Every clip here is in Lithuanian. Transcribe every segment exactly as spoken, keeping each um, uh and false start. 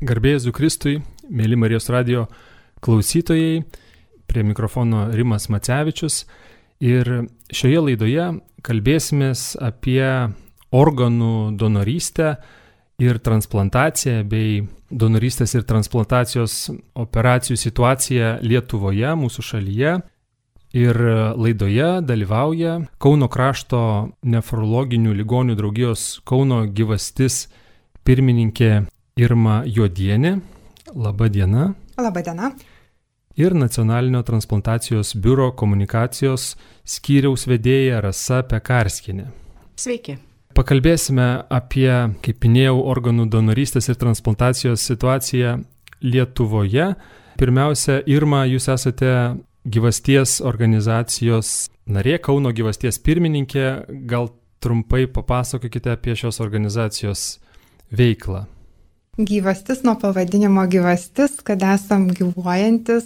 Garbė Jėzui Kristui, mėly Marijos radijo klausytojai, prie mikrofono Rimas Macevičius. Ir šioje laidoje kalbėsimės apie organų donorystę ir transplantaciją bei donorystės ir transplantacijos operacijų situaciją Lietuvoje, mūsų šalyje. Ir laidoje dalyvauja Kauno krašto nefrologinių ligonių draugijos Kauno gyvastis pirmininkė Irma Juodienė. Labą dieną. Labą dieną. Ir Nacionalinio transplantacijos biuro komunikacijos skyriaus vedėja Rasa Pekarskienė. Sveiki. Pakalbėsime apie, kaip minėjau, organų donorystės ir transplantacijos situaciją Lietuvoje. Pirmiausia, Irma, jūs esate gyvasties organizacijos narė, Kauno gyvasties pirmininkė. Gal trumpai papasakokite apie šios organizacijos veiklą. Gyvastis nuo pavadinimo gyvastis, kad esam gyvuojantis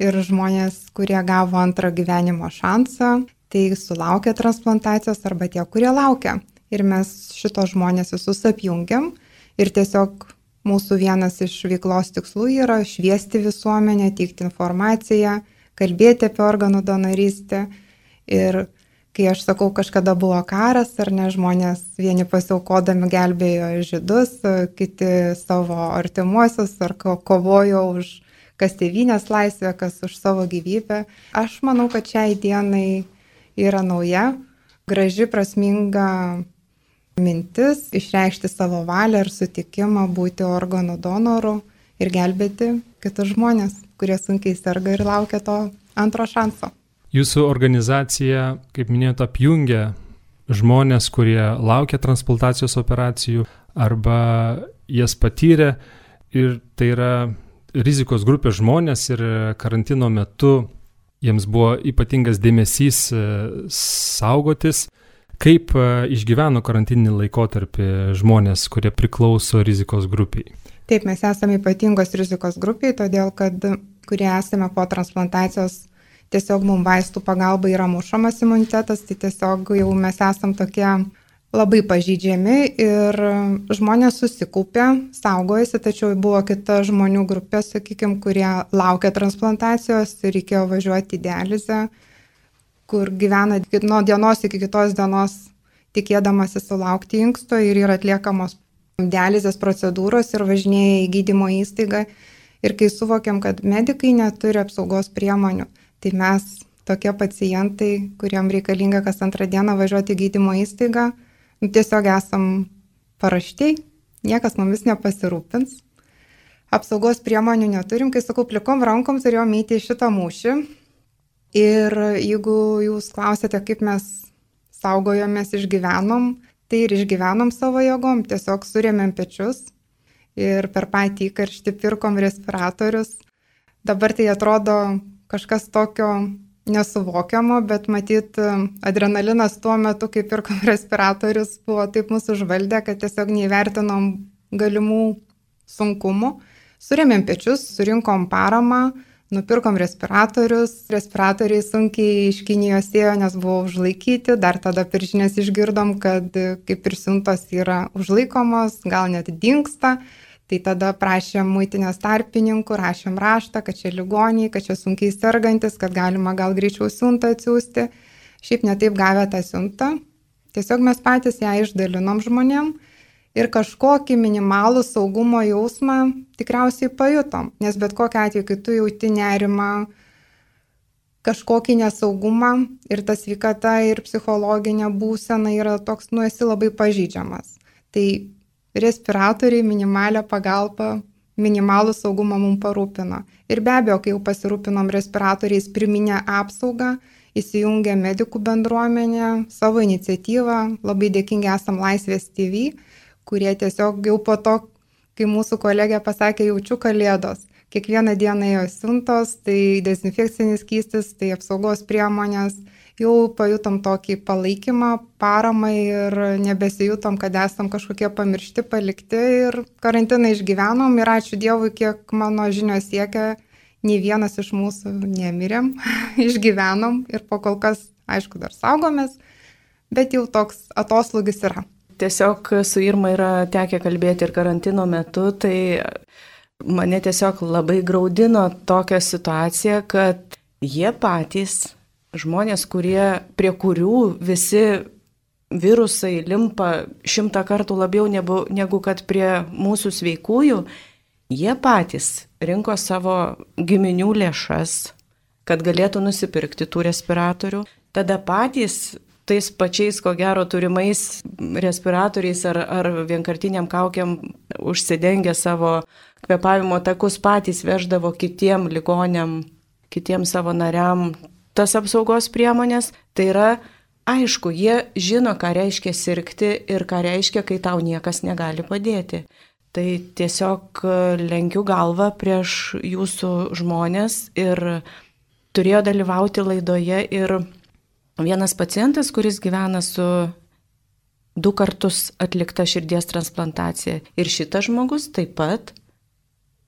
ir žmonės, kurie gavo antrą gyvenimo šansą, tai sulaukia transplantacijos arba tie, kurie laukia. Ir mes šitos žmonės visus apjungiam ir tiesiog mūsų vienas iš veiklos tikslų yra šviesti visuomenę, teikti informaciją, kalbėti apie organų donorystę. Ir kai aš sakau, kažkada buvo karas, ar ne, žmonės vieni pasiaukodami gelbėjo žydus, kiti savo artimuosius, ar kovojo už kas tėvynės laisvę, kas už savo gyvybę. Aš manau, kad šiai dienai yra nauja, graži, prasminga mintis išreikšti savo valią ir sutikimą būti organų donoru ir gelbėti kitus žmonės, kurie sunkiai serga ir laukia to antro šanso. Jūsų organizacija, kaip minėjote, apjungia žmonės, kurie laukia transplantacijos operacijų arba jas patyrė, ir tai yra rizikos grupės žmonės, ir karantino metu jiems buvo ypatingas dėmesys saugotis. Kaip išgyveno karantininį laikotarpį žmonės, kurie priklauso rizikos grupiai? Taip, mes esame ypatingos rizikos grupiai, todėl kad kurie esame po transplantacijos, tiesiog mums vaistų pagalba yra mušamas imunitetas, tai tiesiog jau mes esam tokie labai pažydžiami ir žmonės susikaupė, saugojasi, tačiau buvo kita žmonių grupė, sakykime, kurie laukia transplantacijos ir reikėjo važiuoti į dializę, kur gyvena nuo dienos iki kitos dienos tikėdamasi sulaukti inksto ir yra atliekamos dializės procedūros ir važinėja į gydymo įstaigą. Ir kai suvokiam, kad medikai neturi apsaugos priemonių, tai mes tokie pacientai, kuriem reikalinga kas antrą dieną važiuoti į gydymo įstaigą, nu, tiesiog esam paraštei, niekas mumis nepasirūpins. Apsaugos priemonių neturim, kai sakau, plikom rankom turėjom eiti į šitą mūšį. Ir jeigu jūs klausėte, kaip mes saugojomės, išgyvenom, tai ir išgyvenom savo jėgom, tiesiog surėmėm pečius ir per patį įkarštį pirkom respiratorius. Dabar tai atrodo kažkas tokio nesuvokiamo, bet matyt, adrenalinas tuo metu, kai pirkom respiratorius, buvo taip mūsų užvaldę, kad tiesiog neįvertinom galimų sunkumų. Surėmėm pečius, surinkom paramą, nupirkom respiratorius. Respiratoriai sunkiai iš Kinijos ėjo, nes buvo užlaikyti. Dar tada per žinias išgirdom, kad kaip ir siuntos yra užlaikomos, gal net dingsta. Tai tada prašėm muitinės tarpininkų, rašėm raštą, kad čia ligoniai, kad čia sunkiai sergantis, kad galima gal greičiau siuntą atsiųsti. Šiaip netaip gavę tą siuntą. Tiesiog mes patys ją išdalinom žmonėm ir kažkokį minimalų saugumo jausmą tikriausiai pajutom. Nes bet kokiu atveju, kai tu jauti nerimą, kažkokį nesaugumą ir ta sveikata ir psichologinė būsena yra toks, nu esi labai pažydžiamas. Tai respiratoriai, minimalią pagalbą, minimalų saugumą mums parūpino. Ir be abejo, kai jau pasirūpinom respiratoriais, priminę apsaugą, įsijungė medikų bendruomenė, savo iniciatyvą, labai dėkingi esam Laisvės T V, kurie tiesiog jau po to, kai mūsų kolegė pasakė, jaučiu kalėdos. Kiekvieną dieną ėjo siuntos, tai dezinfekcinis skystis, tai apsaugos priemonės. Jau pajutom tokį palaikymą, paramą ir nebesijutom, kad esam kažkokie pamiršti, palikti ir karantiną išgyvenom ir ačiū Dievui, kiek mano žinios siekia, nei vienas iš mūsų nemirėm, išgyvenom ir po kol kas, aišku, dar saugomės, bet jau toks atoslūgis yra. Tiesiog su Irma yra tekę kalbėti ir karantino metu, tai Mane tiesiog labai graudino tokia situacija, kad jie patys, žmonės, kurie, prie kurių visi virusai limpa šimtą kartų labiau negu, negu kad prie mūsų sveikųjų, jie patys rinko savo giminių lėšas, kad galėtų nusipirkti tų respiratorių. Tada patys tais pačiais, ko gero, turimais respiratoriais ar, ar vienkartiniam kaukiam užsidengę savo kvėpavimo takus, patys veždavo kitiem ligoniam, kitiem savo nariam tas apsaugos priemonės. Tai yra, aišku, jie žino, ką reiškia sirgti ir ką reiškia, kai tau niekas negali padėti. Tai tiesiog lenkiu galvą prieš jūsų žmonės ir turėjo dalyvauti laidoje ir vienas pacientas, kuris gyvena su du kartus atlikta širdies transplantacija. Ir šitas žmogus taip pat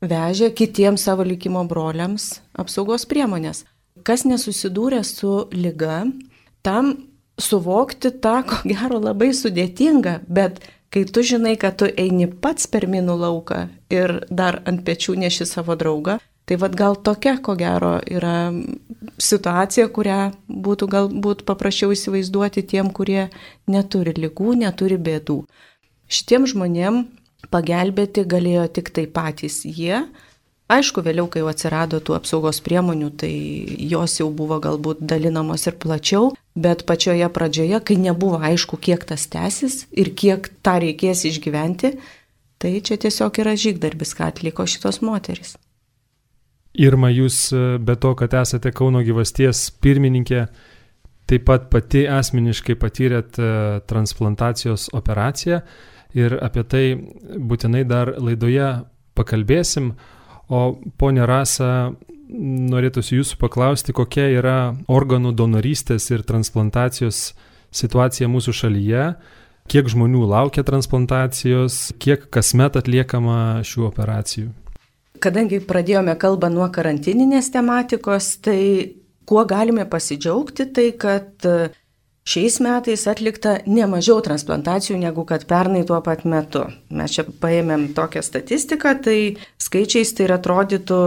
vežė kitiems savo likimo broliams apsaugos priemonės. Kas nesusidūrė su liga, tam suvokti tą, ko gero, labai sudėtinga, bet kai tu žinai, kad tu eini pats per minų lauką ir dar ant pečių neši savo draugą, tai vad gal tokia, ko gero, yra situacija, kurią būtų galbūt paprasčiau įsivaizduoti tiem, kurie neturi ligų, neturi bėdų. Šitiem žmonėm pagelbėti galėjo tik tai patys jie. Aišku, vėliau, kai jau atsirado tų apsaugos priemonių, tai jos jau buvo galbūt dalinamos ir plačiau, bet pačioje pradžioje, kai nebuvo aišku, kiek tas tęsis ir kiek tą reikės išgyventi, tai čia tiesiog yra žygdarbis, ką atliko šitos moterys. Irma, jūs be to, kad esate Kauno gyvasties pirmininkė, taip pat pati asmeniškai patyrėt transplantacijos operaciją ir apie tai būtinai dar laidoje pakalbėsim. O ponia Rasa, norėtųsi jūsų paklausti, kokia yra organų donorystės ir transplantacijos situacija mūsų šalyje, kiek žmonių laukia transplantacijos, kiek kasmet atliekama šių operacijų. Kadangi pradėjome kalbą nuo karantininės tematikos, tai kuo galime pasidžiaugti, tai kad šiais metais atlikta nemažiau transplantacijų negu kad pernai tuo pat metu. Mes čia paėmėm tokią statistiką, tai skaičiais tai atrodytų,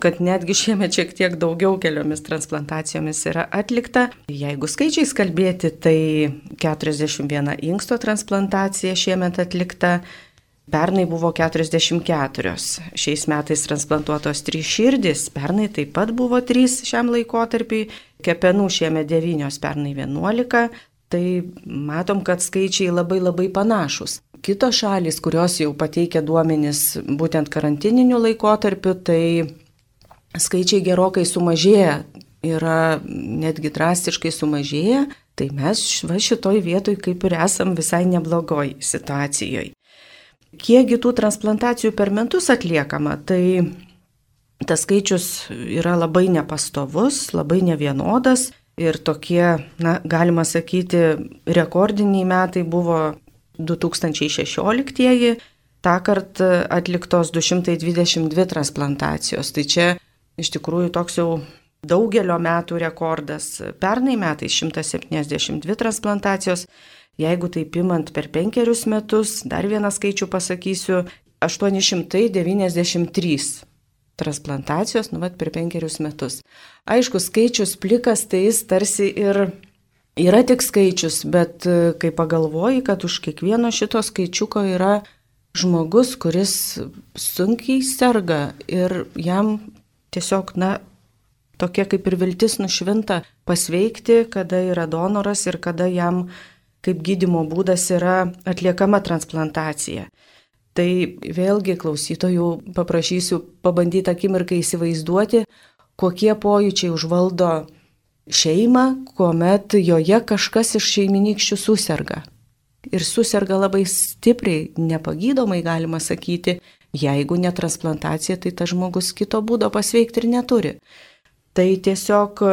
kad netgi šiemet šiek tiek daugiau keliomis transplantacijomis yra atlikta. Jeigu skaičiais kalbėti, tai keturiasdešimt viena inksto transplantacija šiemet atlikta, pernai buvo keturiasdešimt keturios. Šiais metais transplantuotos trys širdys, pernai taip pat buvo trys šiam laikotarpiui, kepenų šiemet devynios, pernai vienuolika, tai matom, kad skaičiai labai labai panašus. Kitos šalys, kurios jau pateikia duomenis būtent karantininiu laikotarpiu, tai skaičiai gerokai sumažėja, yra netgi drastiškai sumažėja, tai mes va šitoj vietoj kaip ir esam visai neblogoj situacijoje. Kiekgi tų transplantacijų per metus atliekama, tai tas skaičius yra labai nepastovus, labai nevienodas ir tokie, na, galima sakyti, rekordiniai metai buvo du tūkstančiai šešioliktieji, tąkart atliktos du šimtai dvidešimt dvi transplantacijos. Tai čia iš tikrųjų toks jau daugelio metų rekordas. Pernai metais šimtas septyniasdešimt dvi transplantacijos. Jeigu taip imant per penkerius metus, dar vieną skaičių pasakysiu, aštuoni šimtai devyniasdešimt trys transplantacijos, nu vat per penkerius metus. Aišku, skaičius plikas, tai jis tarsi ir yra tik skaičius, bet kai pagalvoji, kad už kiekvieno šito skaičiuko yra žmogus, kuris sunkiai serga ir jam tiesiog, na, tokia kaip ir viltis nušvinta pasveikti, kada yra donoras ir kada jam kaip gydymo būdas yra atliekama transplantacija. Tai vėlgi klausytojų paprašysiu pabandyti akimirką įsivaizduoti, kokie pojūčiai užvaldo šeimą, kuomet joje kažkas iš šeiminykščių suserga. Ir suserga labai stipriai, nepagydomai galima sakyti, jeigu ne transplantacija, tai tas žmogus kito būdo pasveikti ir neturi. Tai tiesiog,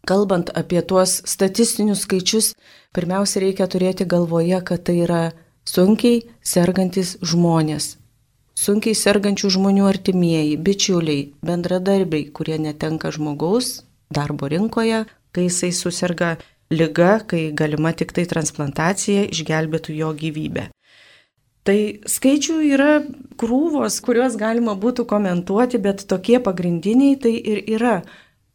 kalbant apie tuos statistinius skaičius, pirmiausia reikia turėti galvoje, kad tai yra sunkiai sergantis žmonės, sunkiai sergančių žmonių artimieji, bičiuliai, bendradarbiai, kurie netenka žmogaus darbo rinkoje, kai jisai suserga liga, kai galima tik tai transplantacija išgelbėtų jo gyvybę. Tai skaičių yra krūvos, kuriuos galima būtų komentuoti, bet tokie pagrindiniai tai ir yra,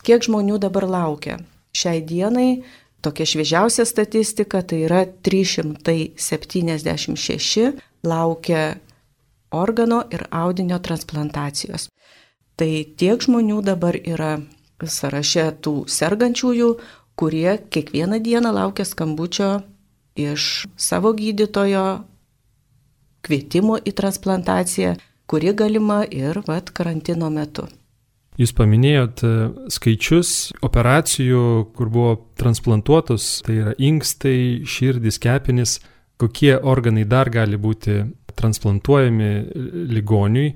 kiek žmonių dabar laukia. Šiai dienai tokia šviežiausia statistika tai yra trys šimtai septyniasdešimt šeši laukia organo ir audinio transplantacijos. Tai tiek žmonių dabar yra sąraše tų sergančiųjų, kurie kiekvieną dieną laukia skambučio iš savo gydytojo, kvietimo į transplantaciją, kuri galima ir vat, karantino metu. Jūs paminėjot skaičius operacijų, kur buvo transplantuotos, tai yra inkstai, širdis, kepenys. Kokie organai dar gali būti transplantuojami ligoniui?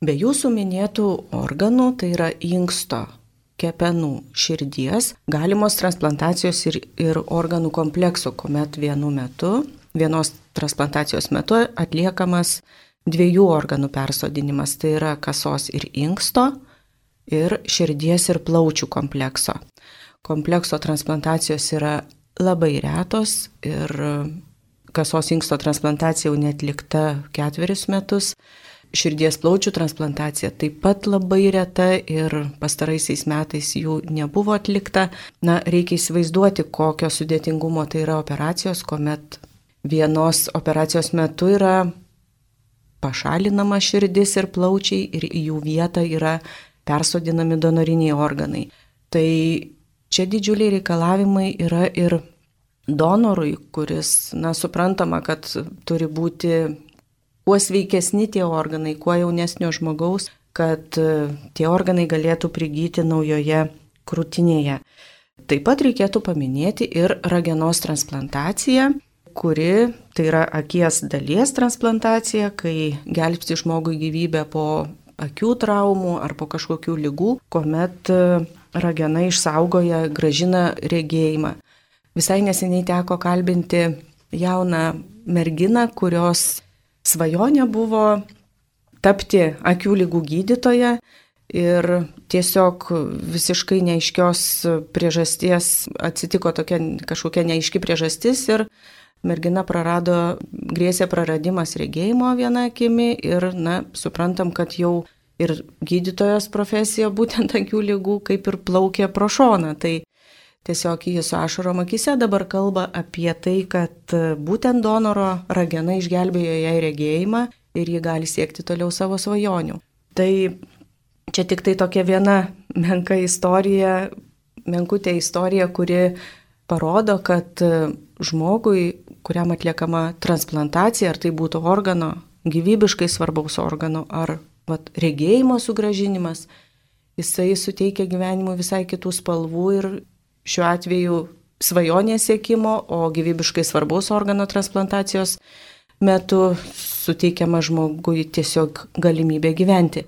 Be jūsų minėtų organų, tai yra inksto, kepenų, širdies, galimos transplantacijos ir, ir organų komplekso, kuomet vienu metu, vienos transplantacijos metu atliekamas dviejų organų persodinimas, tai yra kasos ir inksto, ir širdies ir plaučių komplekso. Komplekso transplantacijos yra labai retos ir kasos inksto transplantacija jau netlikta ketverius metus. Širdies plaučių transplantacija taip pat labai reta ir pastaraisiais metais jų nebuvo atlikta. Na, reikia įsivaizduoti, kokio sudėtingumo tai yra operacijos, kuomet vienos operacijos metu yra pašalinama širdis ir plaučiai ir į jų vietą yra persodinami donoriniai organai. Tai čia didžiuliai reikalavimai yra ir donorui, kuris, na, suprantama, kad turi būti kuo sveikesni tie organai, kuo jaunesnio žmogaus, kad tie organai galėtų prigyti naujoje krūtinėje. Taip pat reikėtų paminėti ir ragenos transplantaciją, kuri, tai yra akies dalies transplantacija, kai gelbsti žmogui gyvybę po akių traumų ar po kažkokių ligų, kuomet ragena išsaugoja, gražina regėjimą. Visai neseniai teko kalbinti jauną merginą, kurios svajonė buvo tapti akių ligų gydytoja ir tiesiog visiškai neaiškios priežasties atsitiko tokia kažkokia neaiški priežastis ir mergina prarado, grėsė praradimas regėjimo viena akimi ir, na, suprantam, kad jau ir gydytojos profesija būtent akių ligų kaip ir plaukė pro šoną. Tai tiesiog jis su ašarom akyse dabar kalba apie tai, kad būtent donoro ragena išgelbėjo jai regėjimą ir ji gali siekti toliau savo svajonių. Tai čia tik tai tokia viena menka istorija, menkutė istorija, kuri parodo, kad žmogui, kuriam atliekama transplantacija, ar tai būtų organo, gyvybiškai svarbaus organo, ar vat, regėjimo sugrąžinimas, jisai suteikia gyvenimui visai kitų spalvų ir šiuo atveju svajonės siekimo, o gyvybiškai svarbaus organo transplantacijos metu suteikiama žmogui tiesiog galimybė gyventi.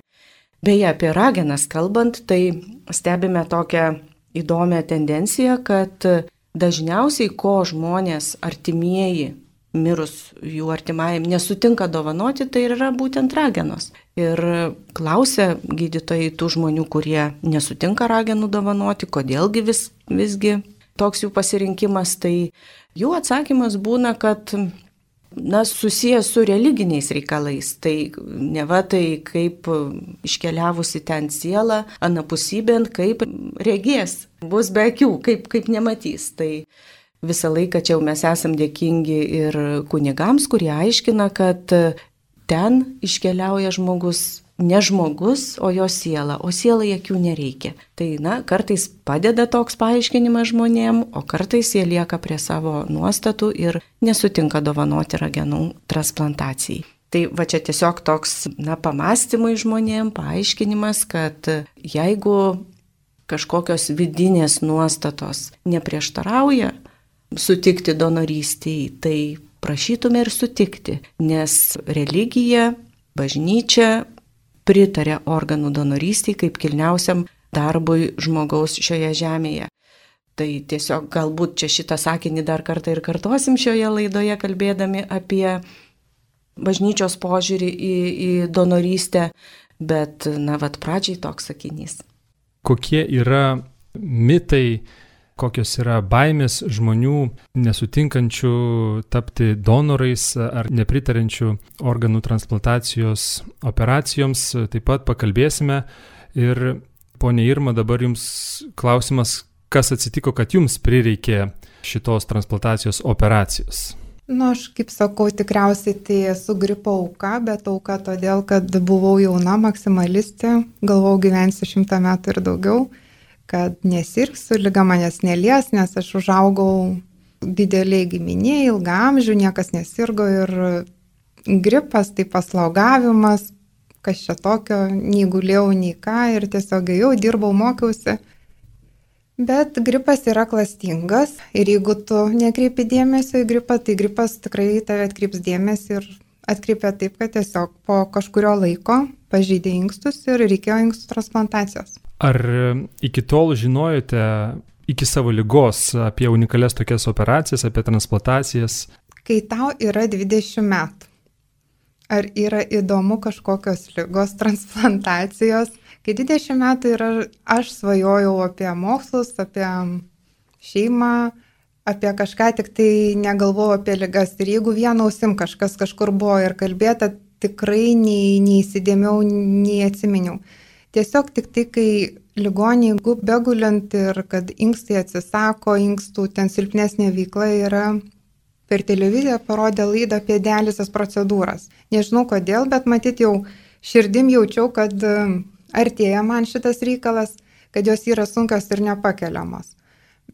Beje, apie ragenas kalbant, tai stebime tokią įdomią tendenciją, kad dažniausiai, ko žmonės artimieji, mirus jų artimajam, nesutinka dovanoti, tai yra būtent ragenos. Ir klausia gydytojai tų žmonių, kurie nesutinka ragenų dovanoti, kodėlgi vis, visgi toks jų pasirinkimas, tai jų atsakymas būna, kad na, susijęs su religiniais reikalais. Tai neva tai kaip iškeliavusi ten siela, anapusybėn, kaip regės, bus be akių, kaip, kaip nematys. Tai visą laiką čia mes esam dėkingi ir kunigams, kurie aiškina, kad ten iškeliauja žmogus, ne žmogus, o jo siela, o sielai akių nereikia. Tai, na, kartais padeda toks paaiškinimas žmonėm, o kartais jie lieka prie savo nuostatų ir nesutinka dovanoti ragenų transplantacijai. Tai va čia tiesiog toks, na, pamastymai žmonėm, paaiškinimas, kad jeigu kažkokios vidinės nuostatos neprieštarauja sutikti donorystėje, tai prašytume ir sutikti, nes religija, bažnyčia pritarė organų donorystėje kaip kilniausiam darbui žmogaus šioje žemėje. Tai tiesiog galbūt čia šitą sakinį dar kartą ir kartosim šioje laidoje, kalbėdami apie bažnyčios požiūrį į, į donorystę, bet, na, vat pradžiai toks sakinys. Kokie yra mitai kokios yra baimės žmonių nesutinkančių tapti donorais ar nepritarančių organų transplantacijos operacijoms. Taip pat pakalbėsime. Ir ponia Irma, dabar jums klausimas, kas atsitiko, kad jums prireikė šitos transplantacijos operacijos? Nu, aš kaip sakau, tikriausiai tai esu gripo auka, bet auka todėl, kad buvau jauna maksimalistė, galvau gyvensiu šimtą metų ir daugiau, kad nesirgsiu, liga manęs nelies, nes aš užaugau dideliai giminėje, ilgą amžių, niekas nesirgo ir gripas, tai paslaugavimas, kas čia tokio, nei gulėjau, nei ką ir tiesiog ėjau, dirbau, mokiausi. Bet gripas yra klastingas ir jeigu tu nekreipi dėmesio į gripą, tai gripas tikrai tave atkreips dėmesį ir atkreipia taip, kad tiesiog po kažkurio laiko pažeidė inkstus ir reikėjo inkstų transplantacijos. Ar iki tol žinojote iki savo ligos apie unikalias tokias operacijas, apie transplantacijas? Kai tau yra dvidešimt metų, ar yra įdomu kažkokios ligos transplantacijos? Kai dvidešimt metų ir aš svajojau apie mokslus, apie šeimą, apie kažką, tik tai negalvojau apie ligas. Ir jeigu vienu ausim kažkas kažkur buvo ir kalbėta, tikrai nei, neįsidėmiau, nei atsiminiau. Tiesiog tik tai, kai ligoniai begulint ir kad inkstai atsisako, inkstų ten silpnesnė veikla yra, per televiziją parodė laidą apie dializės procedūras. Nežinau kodėl, bet matyt jau širdim jaučiau, kad artėja man šitas reikalas, kad jos yra sunkios ir nepakeliamos.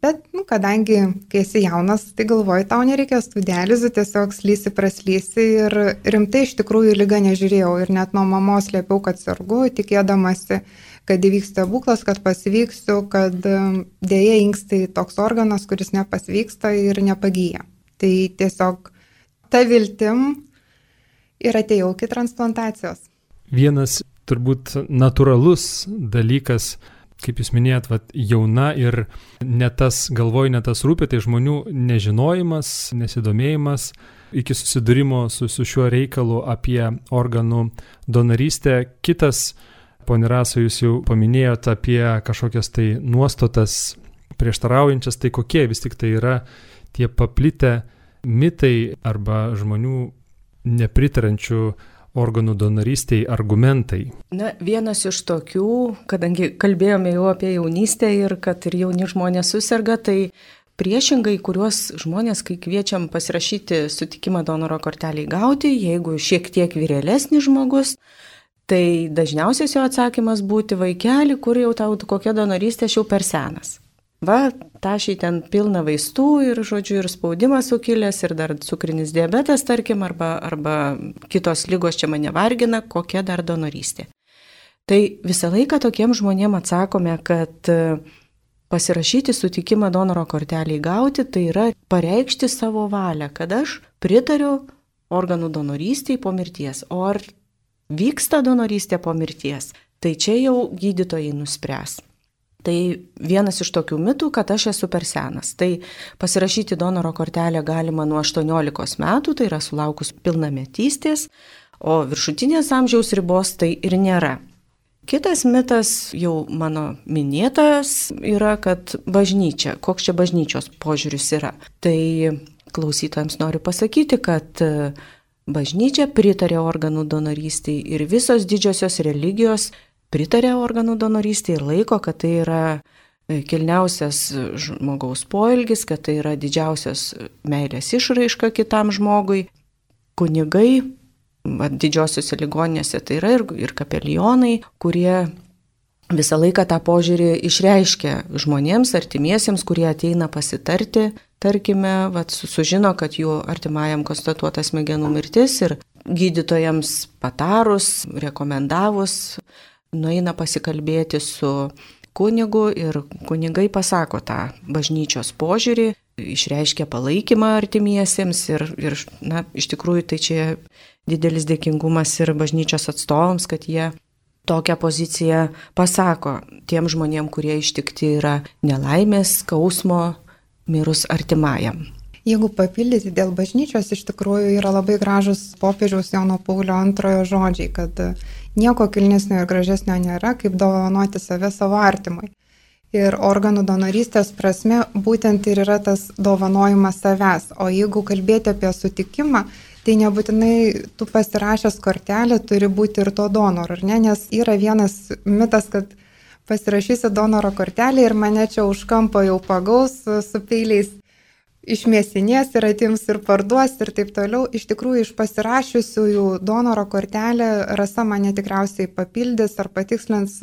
Bet, nu, kadangi, kai esi jaunas, tai galvoju, tau nereikės tų dializių, tiesiog slysi, praslysi ir rimtai iš tikrųjų ligą nežiūrėjau ir net nuo mamos slėpiau, kad sergu, tikėdamasi, kad įvyks stebuklas, kad pasveiksiu, kad dėja inkstai toks organas, kuris nepasveiksta ir nepagyja. Tai tiesiog ta viltim ir atėjau iki transplantacijos. Vienas turbūt natūralus dalykas, kaip jūs minėjot, vat, jauna ir ne tas galvoj, ne tas rūpi, tai žmonių nežinojimas, nesidomėjimas iki susidūrimo su, su šiuo reikalu apie organų donorystę. Kitas, ponia Rasa, jūs jau paminėjot apie kažkokias tai nuostatas prieštaraujančias, tai kokie vis tik tai yra tie paplitę mitai arba žmonių nepritarančių organų donorystėj argumentai? Na, vienas iš tokių, kadangi kalbėjome jau apie jaunystę ir kad ir jauni žmonės susirga, tai priešingai, kuriuos žmonės, kai kviečiam pasirašyti sutikimą donoro kortelį gauti, jeigu šiek tiek vyrėlesnis žmogus, tai dažniausias jo atsakymas būti vaikeli, kur jau tau kokia donorystė, aš jau per senas. Va, tašiai ten pilna vaistų ir, žodžiu, ir spaudimas sukilęs, ir dar cukrinis diabetas, tarkim, arba, arba kitos lygos čia mane vargina, kokia dar donorystė. Tai visą laiką tokiem žmonėm atsakome, kad pasirašyti sutikimą donoro kortelį gauti, tai yra pareikšti savo valią, kad aš pritariu organų donorystėj po mirties. O ar vyksta donorystė po mirties, tai čia jau gydytojai nuspręs. Tai vienas iš tokių mitų, kad aš esu per senas. Tai pasirašyti donoro kortelę galima nuo aštuoniolikos metų, tai yra sulaukus pilnametystės, o viršutinės amžiaus ribos tai ir nėra. Kitas mitas, jau mano minėtas, yra, kad bažnyčia, koks čia bažnyčios požiūris yra. Tai klausytojams noriu pasakyti, kad bažnyčia pritarė organų donorystei ir visos didžiosios religijos pritarė organų donorystei ir laiko, kad tai yra kilniausias žmogaus poelgis, kad tai yra didžiausias meilės išraiška kitam žmogui. Kunigai, didžiosiuose ligoninėse tai yra ir, ir kapelionai, kurie visą laiką tą požiūrį išreiškia žmonėms, artimiesiems, kurie ateina pasitarti, tarkime, vat, sužino, kad jų artimajam konstatuota smegenų mirtis ir gydytojams patarus, rekomendavus, nueina pasikalbėti su kunigu ir kunigai pasako tą bažnyčios požiūrį, išreiškia palaikymą artimiesiems ir, ir na, iš tikrųjų tai čia didelis dėkingumas ir bažnyčios atstovams, kad jie tokią poziciją pasako tiem žmonėm, kurie ištikti yra nelaimės, skausmo, mirus artimajam. Jeigu papildyti dėl bažnyčios, iš tikrųjų yra labai gražus popiežiaus Jono Paulio antrojo žodžiai, kad nieko kilnesnio ir gražesnio nėra, kaip dovanoti save savo artimui. Ir organų donorystės prasme būtent ir yra tas dovanojimas savęs. O jeigu kalbėti apie sutikimą, tai nebūtinai tu pasirašęs kortelę turi būti ir to donoro, ar ne? Nes yra vienas mitas, kad pasirašysi donoro kortelę ir mane čia už kampo jau pagaus su peiliais išmėsinės ir atims ir parduos ir taip toliau. Iš tikrųjų, iš pasirašiusiųjų donoro kortelę Rasa mane tikriausiai papildys ar patikslins,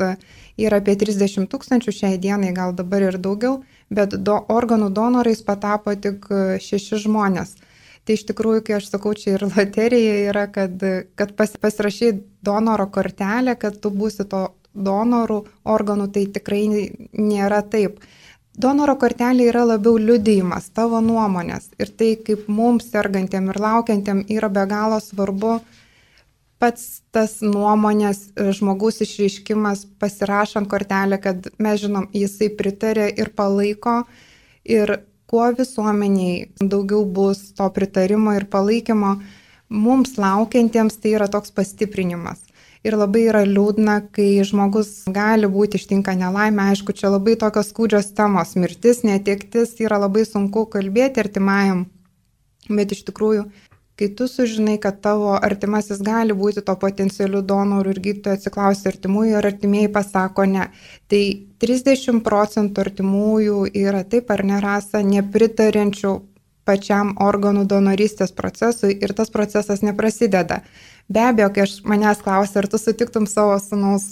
yra apie trisdešimt tūkstančių šiai dienai, gal dabar ir daugiau, bet do, organų donorais patapo tik šeši žmonės. Tai iš tikrųjų, kai aš sakau, čia ir loterija yra, kad, kad pas, pasirašai donoro kortelę, kad tu būsi to donorų organų, tai tikrai nėra taip. Donoro kortelė yra labiau liudijimas, tavo nuomonės. Ir tai, kaip mums sergantiem ir laukiantiem yra be galo svarbu pats tas nuomonės žmogaus išreiškimas pasirašant kortelę, kad mes žinom, jisai pritarė ir palaiko. Ir kuo visuomeniai daugiau bus to pritarimo ir palaikymo, mums laukiantiems tai yra toks pastiprinimas. Ir labai yra liūdna, kai žmogus gali būti ištinka nelaimė. Aišku, čia labai tokios skūdžios temos. Mirtis, netektis yra labai sunku kalbėti artimajam. Bet iš tikrųjų, kai tu sužinai, kad tavo artimasis gali būti to potencialiu donoru ir gydytojo atsiklausi artimųjų ir artimieji pasako ne. Tai trisdešimt procentų artimųjų yra taip ar nerasa nepritarenčių pačiam organų donorystės procesui ir tas procesas neprasideda. Be abejo, kai aš manęs klausia, ar tu sutiktum savo sūnaus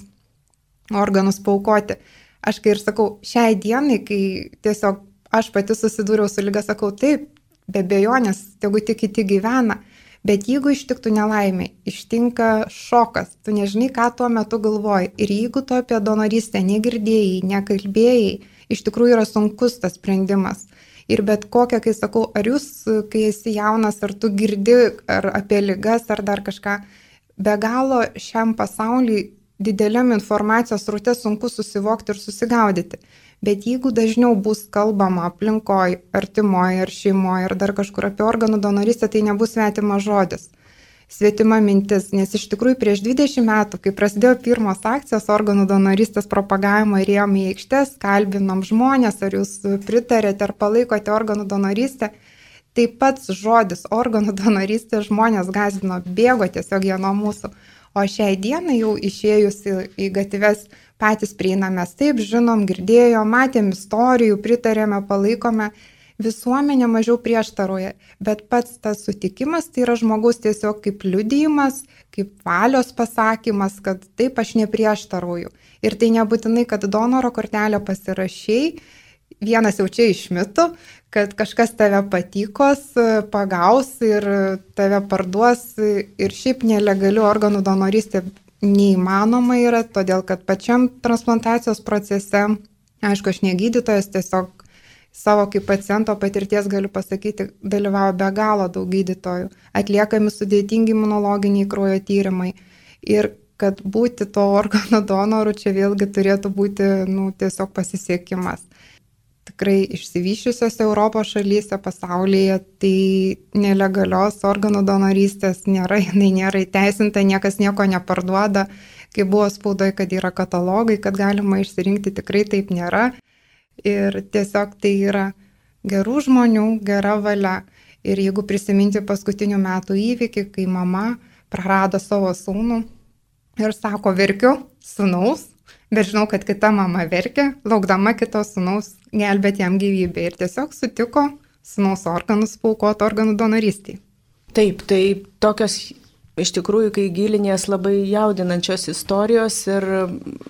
organus paaukoti, aš kai ir sakau, šiai dienai, kai tiesiog aš pati susidūriau su liga, sakau, taip, be abejonės, tegu tik kiti gyvena, bet jeigu ištiktų nelaimė, ištinka šokas, tu nežinai, ką tuo metu galvoji. Ir jeigu tu apie donorystę negirdėjai, nekalbėjai, iš tikrųjų yra sunkus tas sprendimas. Ir bet kokią, kai sakau, ar jūs, kai esi jaunas, ar tu girdi ar apie ligas, ar dar kažką, be galo šiam pasauliui dideliam informacijos sraute sunku susivokti ir susigaudyti. Bet jeigu dažniau bus kalbama aplinkoj, artimoj, ar šeimoje, ar dar kažkur apie organų donorystę, tai nebus svetimas žodis. Svetima mintis, nes iš tikrųjų prieš dvidešimt metų, kai prasidėjo pirmos akcijos organų donorystės propagavimo ir ėjom į aikštes, kalbinom žmonės, ar jūs pritarėte ar palaikote organų donorystę, tai pats žodis organų donorystė žmonės gąsdino, bėgo tiesiog jie nuo mūsų. O šiai dienai jau išėjus į, į gatves patys prieinamės, taip žinom, girdėjom, matėm istorijų, pritarėme, palaikome. Visuomenė mažiau prieštaroja, bet pats tas sutikimas tai yra žmogaus tiesiog kaip liudijimas, kaip valios pasakymas, kad taip aš neprieštaroju. Ir tai nebūtinai, kad donoro kortelę pasirašiai, vienas jau čia iš mitų, kad kažkas tave patikos, pagaus ir tave parduos ir šiaip nelegalių organų donorystė neįmanoma yra, todėl kad pačiam transplantacijos procese, aišku, aš negydytojas, tiesiog savo kaip paciento patirties galiu pasakyti, dalyvauja be galo daug gydytojų, atliekami sudėtingi imunologiniai kraujo tyrimai. Ir kad būti to organo donoru čia vėlgi turėtų būti nu, tiesiog pasisiekimas. Tikrai išsivyščiusiose Europos šalyse, pasaulyje, tai nelegalios organų donorystės nėra, jinai nėra įteisinta, niekas nieko neparduoda. Kai buvo spaudoje, kad yra katalogai, kad galima išsirinkti, tikrai taip nėra. Ir tiesiog tai yra gerų žmonių, gera valia. Ir jeigu prisiminti paskutinių metų įvykį, kai mama prarado savo sūnų ir sako, verkiu sūnaus, bet žinau, kad kita mama verkia, laukdama kito sūnaus gelbėti jam gyvybę. Ir tiesiog sutiko sūnaus organus paaukoti organų donorystiai. Taip, tai tokios iš tikrųjų, kai gilinės labai jaudinančios istorijos ir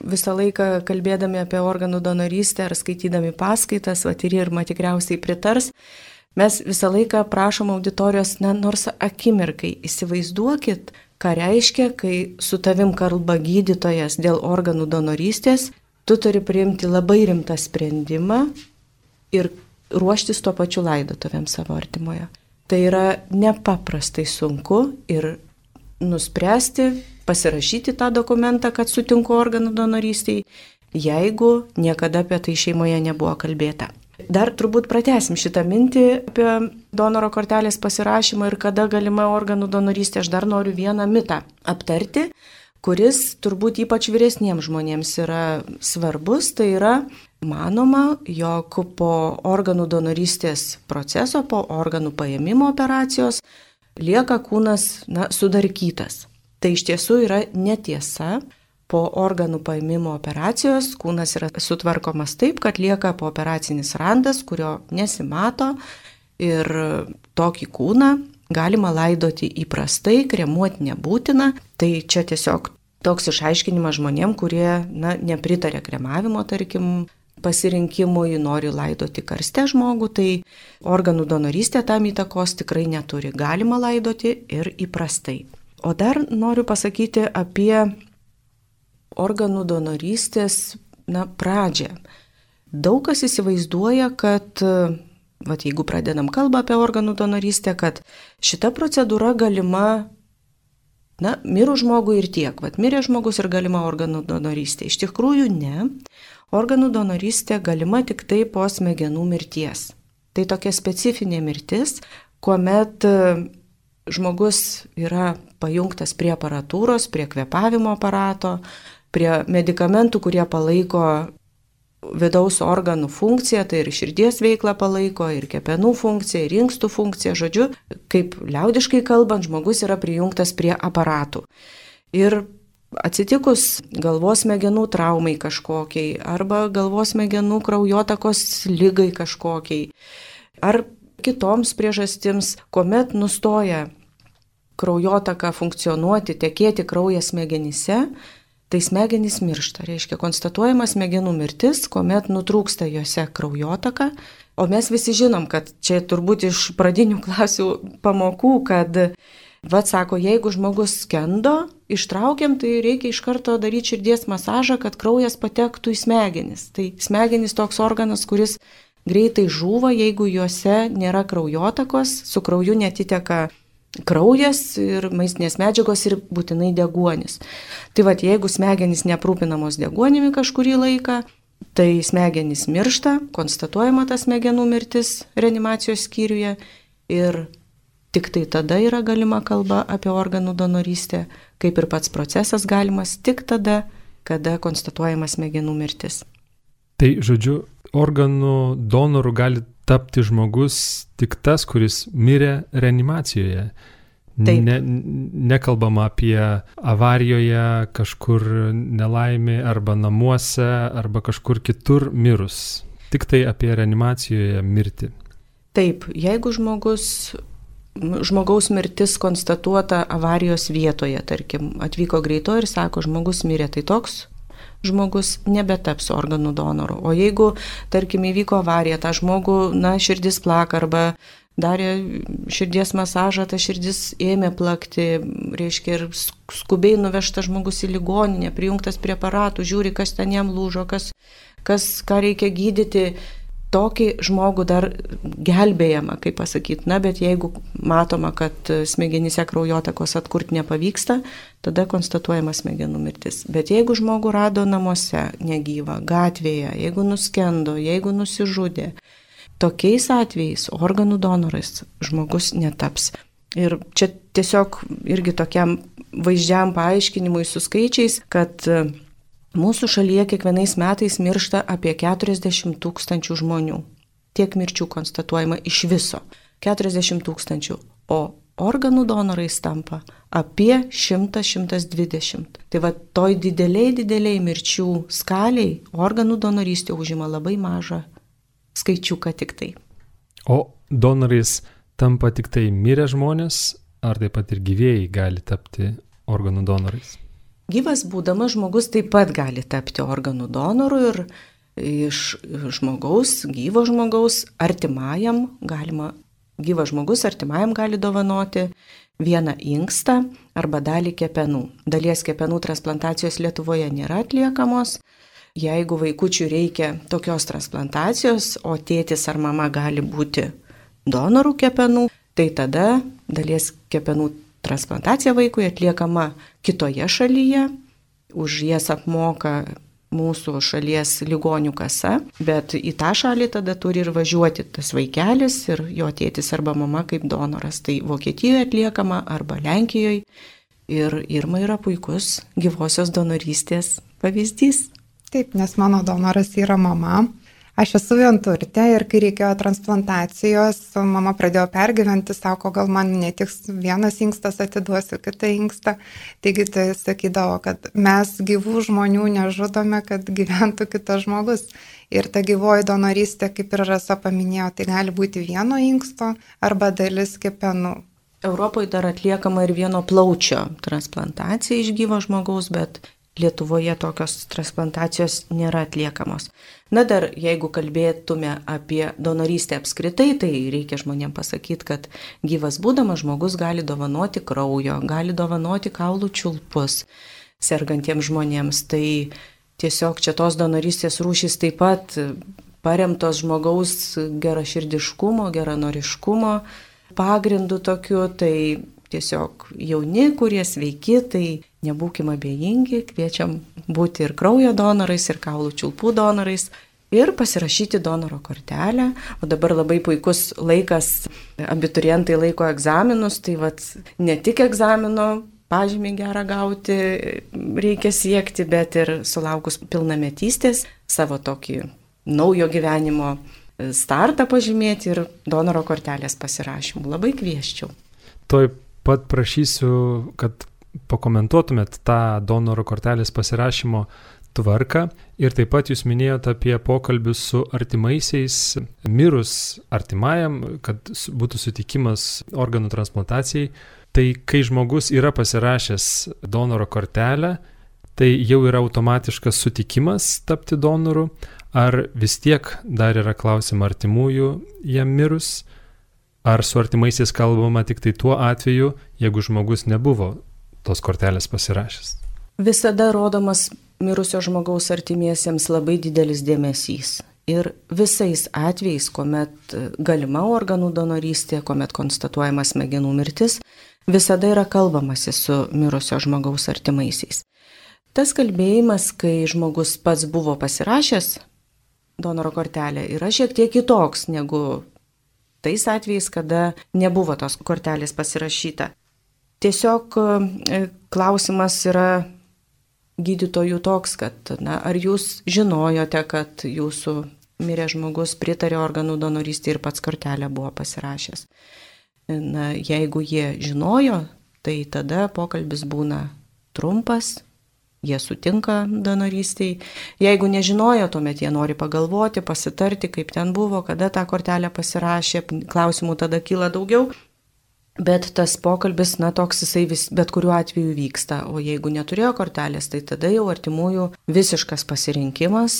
visą laiką kalbėdami apie organų donorystę ar skaitydami paskaitas, va ir Irma tikriausiai pritars, mes visą laiką prašom auditorijos, na, nors akimirkai įsivaizduokit, ką reiškia, kai su tavim kalba gydytojas dėl organų donorystės, tu turi priimti labai rimtą sprendimą ir ruoštis tuo pačiu laidotuvėm savo artimoje. Tai yra nepaprastai sunku ir nuspręsti, pasirašyti tą dokumentą, kad sutinku organų donorystiai, jeigu niekada apie tai šeimoje nebuvo kalbėta. Dar turbūt pratęsim šitą mintį apie donoro kortelės pasirašymą ir kada galima organų donorystė. Aš dar noriu vieną mitą aptarti, kuris turbūt ypač vyresniems žmonėms yra svarbus, tai yra manoma, jog po organų donorystės proceso, po organų paėmimo operacijos lieka kūnas na, sudarkytas. Tai iš tiesų yra netiesa. Po organų paėmimo operacijos kūnas yra sutvarkomas taip, kad lieka pooperacinis randas, kurio nesimato ir tokį kūną galima laidoti įprastai, kremuoti nebūtina. Tai čia tiesiog toks išaiškinimas žmonėm, kurie na, nepritarė kremavimo, tarkim, pasirinkimui, nori laidoti karste žmogų, tai organų donorystė tam įtakos tikrai neturi. Galima laidoti ir įprastai. O dar noriu pasakyti apie organų donorystės na, pradžią. Daug kas įsivaizduoja, kad, vat, jeigu pradedam kalbą apie organų donorystę, kad šita procedūra galima na, mirus žmogui ir tiek. Vat, mirė žmogus ir galima organų donorystė. Iš tikrųjų ne. Organų donorystė galima tik tai po smegenų mirties. Tai tokia specifinė mirtis, kuomet žmogus yra pajungtas prie aparatūros, prie kvėpavimo aparato, prie medikamentų, kurie palaiko vidaus organų funkciją, tai ir širdies veiklą palaiko, ir kepenų funkciją, ir inkstų funkciją. Žodžiu, kaip liaudiškai kalbant, žmogus yra prijungtas prie aparatų. Ir atsitikus galvos smegenų traumai kažkokiai, arba galvos smegenų kraujotakos lygai kažkokiai, ar kitoms priežastims, kuomet nustoja kraujotaka funkcionuoti, tekėti kraujas smegenyse, tai smegenys miršta. Reiškia, konstatuojama smegenų mirtis, kuomet nutrūksta juose kraujotaka. O mes visi žinom, kad čia turbūt iš pradinių klasių pamokų, kad, vat sako, jeigu žmogus skendo, ištraukiam, tai reikia iš karto daryti širdies masažą, kad kraujas patektų į smegenis. Tai smegenys toks organas, kuris greitai žūva, jeigu juose nėra kraujotakos, su krauju netiteka kraujas ir maistinės medžiagos ir būtinai deguonis. Tai vat, jeigu smegenys neaprūpinamos deguonimi kažkurį laiką, tai smegenys miršta, konstatuojama ta smegenų mirtis reanimacijos skyriuje ir tik tai tada yra galima kalba apie organų donorystę, kaip ir pats procesas galimas tik tada, kada konstatuojama smegenų mirtis. Tai žodžiu, organų donoru gali tapti žmogus tik tas, kuris mirė reanimacijoje. Ne, nekalbama apie avarijoje, kažkur nelaimė arba namuose, arba kažkur kitur mirus. Tik tai apie reanimacijoje mirti. Taip, jeigu žmogus, žmogaus mirtis konstatuota avarijos vietoje, tarkim, atvyko greito ir sako, žmogus mirė, tai toks žmogus nebetaps organų donoru. O jeigu, tarkim, įvyko avarija, tą žmogų, na, širdis plaka arba darė širdies masažą, ta širdis ėmė plakti, reiškia, ir skubiai nuvežtas žmogus į ligoninę, prijungtas prie aparatų, žiūri, kas ten jam lūžo, kas, kas, ką reikia gydyti. Tokį žmogų dar gelbėjama, kaip pasakyti, na, bet jeigu matoma, kad smegenyse kraujotakos atkurti nepavyksta, tada konstatuojama smegenų mirtis. Bet jeigu žmogų rado namuose negyvą, gatvėje, jeigu nuskendo, jeigu nusižudė, tokiais atvejais organų donorais žmogus netaps. Ir čia tiesiog irgi tokiam vaizdžiam paaiškinimui su skaičiais, kad mūsų šalyje kiekvienais metais miršta apie keturiasdešimt tūkstančių žmonių. Tiek mirčių konstatuojama iš viso. keturiasdešimt tūkstančių. O organų donorais tampa apie šimtas šimtas dvidešimt. Tai va toj dideliai dideliai mirčių skaliai organų donorystė užima labai mažą skaičiuką tik tai. O donorais tampa tik tai mirę žmonės, ar taip pat ir gyvėjai gali tapti organų donorais? Gyvas būdamas žmogus taip pat gali tapti organų donoru ir iš žmogaus, gyvo žmogaus artimajam galima, gyvas žmogus artimajam gali dovanoti vieną inkstą arba dalį kepenų. Dalies kepenų transplantacijos Lietuvoje nėra atliekamos. Jeigu vaikučiui reikia tokios transplantacijos, o tėtis ar mama gali būti donorų kepenų, tai tada dalies kepenų transplantacija vaikui atliekama kitoje šalyje, už jas apmoka mūsų šalies ligonių kasa, bet į tą šalį tada turi ir važiuoti tas vaikelis ir jo tėtis arba mama kaip donoras. Tai Vokietijoje atliekama arba Lenkijoje. Ir Irma yra puikus gyvosios donorystės pavyzdys. Taip, nes mano donoras yra mama. Aš esu vienturtė ir kai reikėjo transplantacijos, mama pradėjo pergyventi, sako, gal man netiks vienas inkstas, atiduosiu kitą inkstą. Taigi tai sakydavo, kad mes gyvų žmonių nežudome, kad gyventų kitas žmogus. Ir ta gyvoji donorystė, kaip ir Rasa paminėjo, tai gali būti vieno inksto arba dalis kepenų. Europoje dar atliekama ir vieno plaučio transplantacija iš gyvo žmogaus, bet Lietuvoje tokios transplantacijos nėra atliekamos. Na dar, jeigu kalbėtume apie donorystę apskritai, tai reikia žmonėms pasakyti, kad gyvas būdamas žmogus gali dovanoti kraujo, gali dovanoti kaulų čiulpus sergantiems žmonėms. Tai tiesiog čia tos donorystės rūšys taip pat paremtos žmogaus geraširdiškumo, geranoriškumo pagrindu tokiu, tai tiesiog jauni, kurie sveiki, tai nebūkime abejingi, kviečiam būti ir kraujo donorais, ir kaulų čiulpų donorais ir pasirašyti donoro kortelę. O dabar labai puikus laikas, abiturientai laiko egzaminus, tai vat ne tik egzamino pažymį gerą gauti reikia siekti, bet ir sulaukus pilnametystės savo tokį naujo gyvenimo startą pažymėti ir donoro kortelės pasirašymų. Labai kvieščiau. Toj pat prašysiu, kad pakomentuotumėt tą donoro kortelės pasirašymo tvarką ir taip pat jūs minėjote apie pokalbius su artimaisiais, mirus artimajam, kad būtų sutikimas organų transplantacijai. Tai kai žmogus yra pasirašęs donoro kortelę, tai jau yra automatiškas sutikimas tapti donoru, ar vis tiek dar yra klausima artimųjų jam mirus, ar su artimaisiais kalbama tik tai tuo atveju, jeigu žmogus nebuvo tos kortelės pasirašęs? Visada rodomas mirusio žmogaus artimiesiems labai didelis dėmesys. Ir visais atvejais, kuomet galima organų donorystė, kuomet konstatuojama smegenų mirtis, visada yra kalbamasi su mirusio žmogaus artimaisiais. Tas kalbėjimas, kai žmogus pats buvo pasirašęs donoro kortelę, yra šiek tiek kitoks negu tais atvejais, kada nebuvo tos kortelės pasirašyta. Tiesiog klausimas yra gydytojų toks, kad na, ar jūs žinojote, kad jūsų mirė žmogus pritarė organų donorystė ir pats kortelę buvo pasirašęs. Na, jeigu jie žinojo, tai tada pokalbis būna trumpas, jie sutinka donorystiai. Jeigu nežinojo, tuomet jie nori pagalvoti, pasitarti, kaip ten buvo, kada tą kortelę pasirašė, klausimų tada kyla daugiau. Bet tas pokalbis, na, toks jisai vis, bet kuriuo atveju vyksta, o jeigu neturėjo kortelės, tai tada jau artimųjų visiškas pasirinkimas,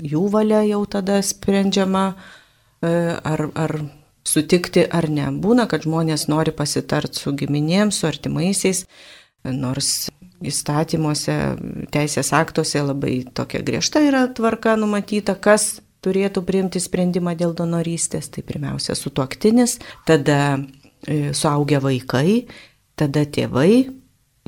jų valia jau tada sprendžiama, ar, ar sutikti ar ne. Būna, kad žmonės nori pasitarti su giminėms, su artimaisiais, nors įstatymuose, teisės aktuose labai tokia griežta yra tvarka numatyta, kas turėtų priimti sprendimą dėl donorystės. Tai pirmiausia sutuoktinis, tada suaugę vaikai, tada tėvai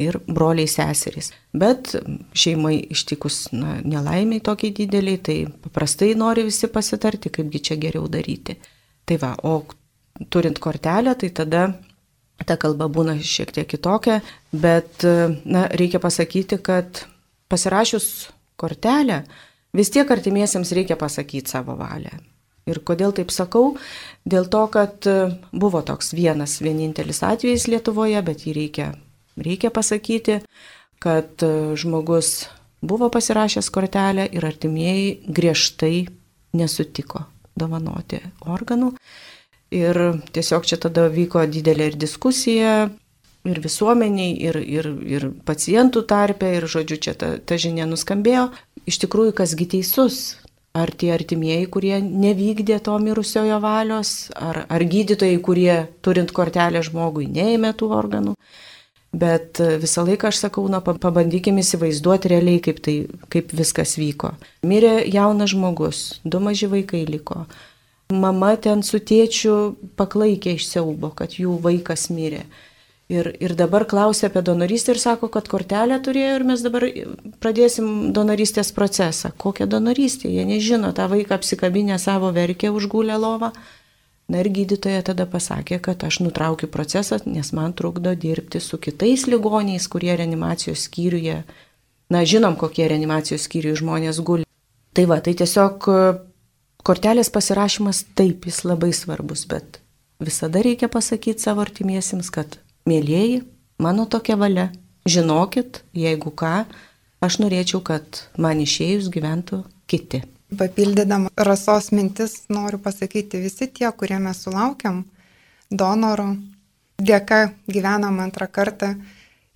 ir broliai seserys. Bet šeimai ištikus na, nelaimiai tokiai dideliai, tai paprastai nori visi pasitarti, kaipgi čia geriau daryti. Tai va, o turint kortelę, tai tada ta kalba būna šiek tiek kitokia, bet na, reikia pasakyti, kad pasirašius kortelę, vis tiek artimiesiems reikia pasakyti savo valią. Ir kodėl taip sakau? Dėl to, kad buvo toks vienas vienintelis atvejis Lietuvoje, bet jį reikia, reikia pasakyti, kad žmogus buvo pasirašęs kortelę ir artimieji griežtai nesutiko dovanoti organų. Ir tiesiog čia tada vyko didelė ir diskusija, ir visuomeniai, ir, ir, ir pacientų tarpe, ir žodžiu, čia ta, ta žinia nuskambėjo. Iš tikrųjų, kasgi teisus? Ar tie artimieji, kurie nevykdė to mirusiojo valios, ar, ar gydytojai, kurie turint kortelę žmogui neėmė tų organų. Bet visą laiką aš sakau, na, pabandykime įsivaizduoti realiai, kaip, tai, kaip viskas vyko. Mirė jaunas žmogus, du maži vaikai liko. Mama ten su tėčiu paklaikė iš siaubo, kad jų vaikas mirė. Ir, ir dabar klausia apie donorystę ir sako, kad kortelę turėjo ir mes dabar pradėsim donorystės procesą. Kokią donorystę? Jie nežino, tą vaiką apsikabinę savo verkė užgulę lovą. Na ir gydytoja tada pasakė, kad aš nutraukiu procesą, nes man trukdo dirbti su kitais ligoniais, kurie reanimacijos skyriuje. Na, žinom, kokie reanimacijos skyriuje žmonės guli. Tai va, tai tiesiog kortelės pasirašymas taip, jis labai svarbus, bet visada reikia pasakyti savo artimiesiems, kad mėlieji, mano tokia valia, žinokit, jeigu ką, aš norėčiau, kad man išėjus gyventų kiti. Papildydama Rasos mintis, noriu pasakyti, visi tie, kurie mes sulaukiam donoro, dėka gyvenam antrą kartą,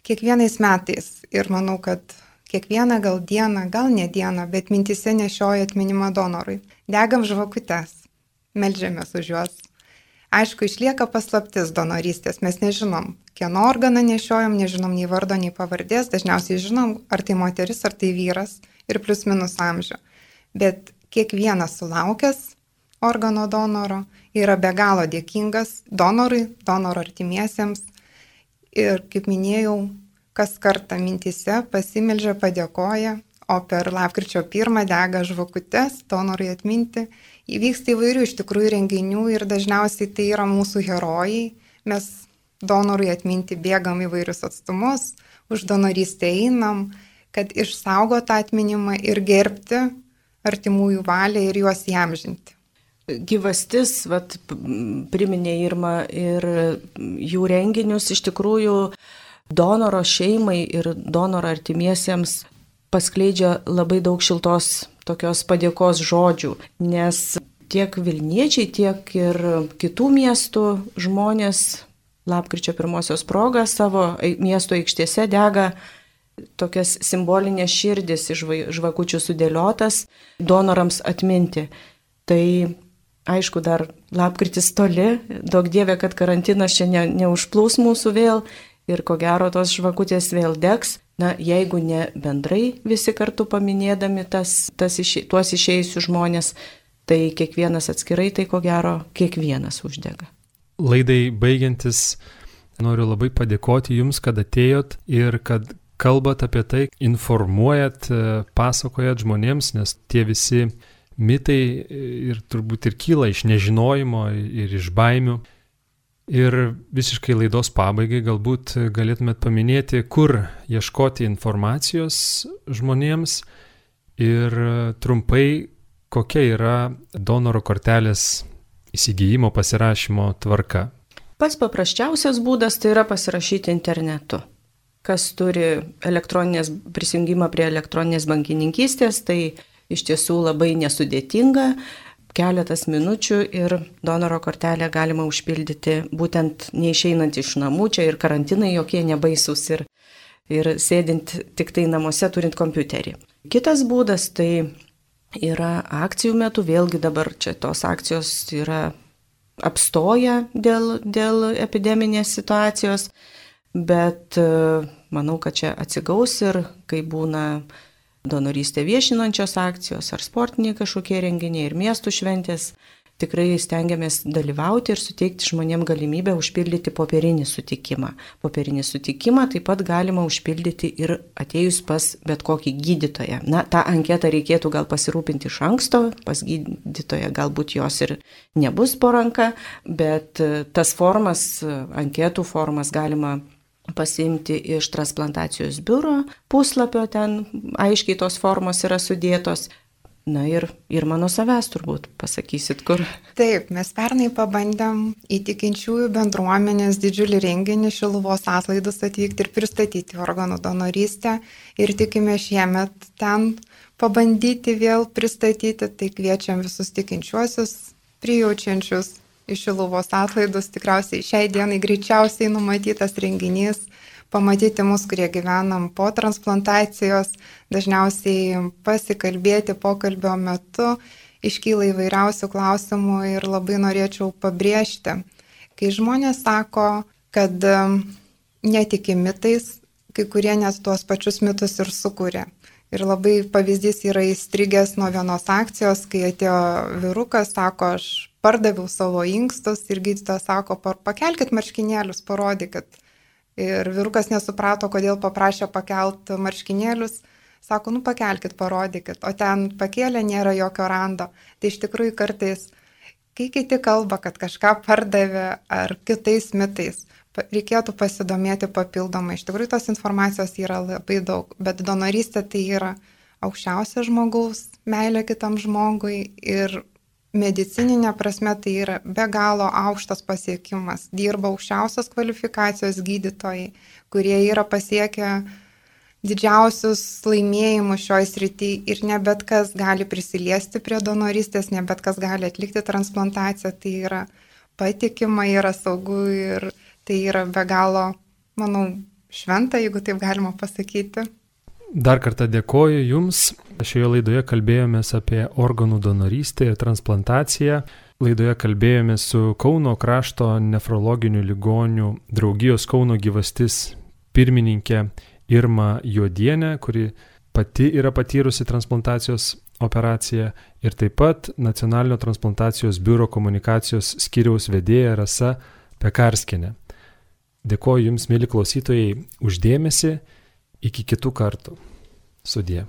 kiekvienais metais. Ir manau, kad kiekvieną gal dieną, gal ne dieną, bet mintise nešioja atminimą donorui. Degam žvakutes, meldžiamės už juos. Aišku, išlieka paslaptis donorystės, mes nežinom, kieno organą nešiojam, nežinom nei vardo, nei pavardės, dažniausiai žinom, ar tai moteris, ar tai vyras ir plius minus amžių. Bet kiekvienas sulaukęs organo donoro yra be galo dėkingas donorui, donoro artimiesiems ir, kaip minėjau, kas kartą mintise pasimeldžia, padėkoja, o per lapkričio pirmą dega žvakutes donorui atminti. Įvyksta įvairių iš tikrųjų renginių ir dažniausiai tai yra mūsų herojai. Mes donorui atminti bėgam įvairius atstumus, už donorystę einam, kad išsaugo tą atminimą ir gerbti artimųjų valią ir juos įamžinti. Gyvastis, vat, priminė Irma, ir jų renginius iš tikrųjų donoro šeimai ir donoro artimiesiems paskleidžia labai daug šiltos tokios padėkos žodžių, nes tiek Vilniečiai, tiek ir kitų miestų žmonės lapkričio pirmosios proga savo miesto aikštėse dega tokias simbolinės širdis iš žvakučių sudėliotas donorams atminti. Tai aišku, dar lapkritis toli, daug dievė, kad karantinas čia ne, neužplūs mūsų vėl ir ko gero tos žvakutės vėl degs. Na, jeigu ne bendrai visi kartu paminėdami tas, tas išė, tuos išėjusius žmonės, tai kiekvienas atskirai, tai ko gero kiekvienas uždega. Laidai baigiantis, noriu labai padėkoti Jums, kad atėjot ir kad kalbat apie tai, informuojat, pasakojat žmonėms, nes tie visi mitai ir turbūt ir kyla iš nežinojimo ir iš baimių. Ir visiškai laidos pabaigai galbūt galėtumėt paminėti, kur ieškoti informacijos žmonėms ir trumpai, kokia yra donoro kortelės įsigijimo pasirašymo tvarka. Pats paprasčiausias būdas tai yra pasirašyti internetu. Kas turi elektroninės prisijungimą prie elektroninės bankininkystės, tai iš tiesų labai nesudėtinga. Keletas minučių ir donoro kortelę galima užpildyti būtent neišeinant iš namų, čia ir karantinai jokie nebaisus ir, ir sėdint tik tai namuose turint kompiuterį. Kitas būdas tai yra akcijų metu, vėlgi dabar čia tos akcijos yra apstoję dėl, dėl epideminės situacijos, bet manau, kad čia atsigaus ir kai būna donorystę viešinančios akcijos ar sportiniai kažkokie renginiai ir miestų šventės, tikrai stengiamės dalyvauti ir suteikti žmonėm galimybę užpildyti popierinį sutikimą. Popierinį sutikimą taip pat galima užpildyti ir atėjus pas bet kokį gydytoją. Na, tą anketą reikėtų gal pasirūpinti iš anksto, pas gydytoją galbūt jos ir nebus po ranka, bet tas formas, anketų formas galima pasiimti iš transplantacijos biuro puslapio, ten aiškiai tos formos yra sudėtos. Na ir, ir mano savęs turbūt pasakysit, kur. Taip, mes pernai pabandėm į tikinčiųjų bendruomenės didžiulį renginį Šiluvos atlaidus atvykti ir pristatyti organų donorystę ir tikime šiemet ten pabandyti vėl pristatyti, tai kviečiam visus tikinčiuosius, prijaučiančius iš Šiluvos atlaidus, tikriausiai šiai dienai greičiausiai numatytas renginys, pamatyti mus, kurie gyvenam po transplantacijos, dažniausiai pasikalbėti pokalbio metu, iškyla įvairiausių klausimų ir labai norėčiau pabrėžti, kai žmonės sako, kad netiki mitais, kai kurie net tuos pačius mitus ir sukuria. Ir labai pavyzdys yra įstrigęs nuo vienos akcijos, kai atėjo vyrukas, sako, aš pardaviau savo inkstus ir gydytojas sako, pakelkit marškinėlius, parodykit. Ir vyrukas nesuprato, kodėl paprašė pakelt marškinėlius, sako, nu pakelkit, parodykit, o ten pakėlė, nėra jokio rando. Tai iš tikrųjų kartais, kai kiti kalba, kad kažką pardavė ar kitais mitais, reikėtų pasidomėti papildomai. Iš tikrųjų, tos informacijos yra labai daug, bet donorystė tai yra aukščiausia žmogaus meilė kitam žmogui ir medicininė prasme tai yra be galo aukštas pasiekimas. Dirba aukščiausios kvalifikacijos gydytojai, kurie yra pasiekę didžiausius laimėjimus šioje srityje ir ne bet kas gali prisiliesti prie donorystės, ne bet kas gali atlikti transplantaciją. Tai yra patikima, yra saugu ir tai yra be galo, manau, šventa, jeigu taip galima pasakyti. Dar kartą dėkoju Jums. Šioje laidoje kalbėjomės apie organų donorystę ir transplantaciją. Laidoje kalbėjomės su Kauno krašto nefrologinių ligonių draugijos Kauno gyvastis pirmininkė Irma Juodienė, kuri pati yra patyrusi transplantacijos operaciją, ir taip pat Nacionalinio transplantacijos biuro komunikacijos skyriaus vedėja Rasa Pekarskienė. Dėkoju Jums, mieli klausytojai, už dėmesį. Iki kitų kartų. Sudie.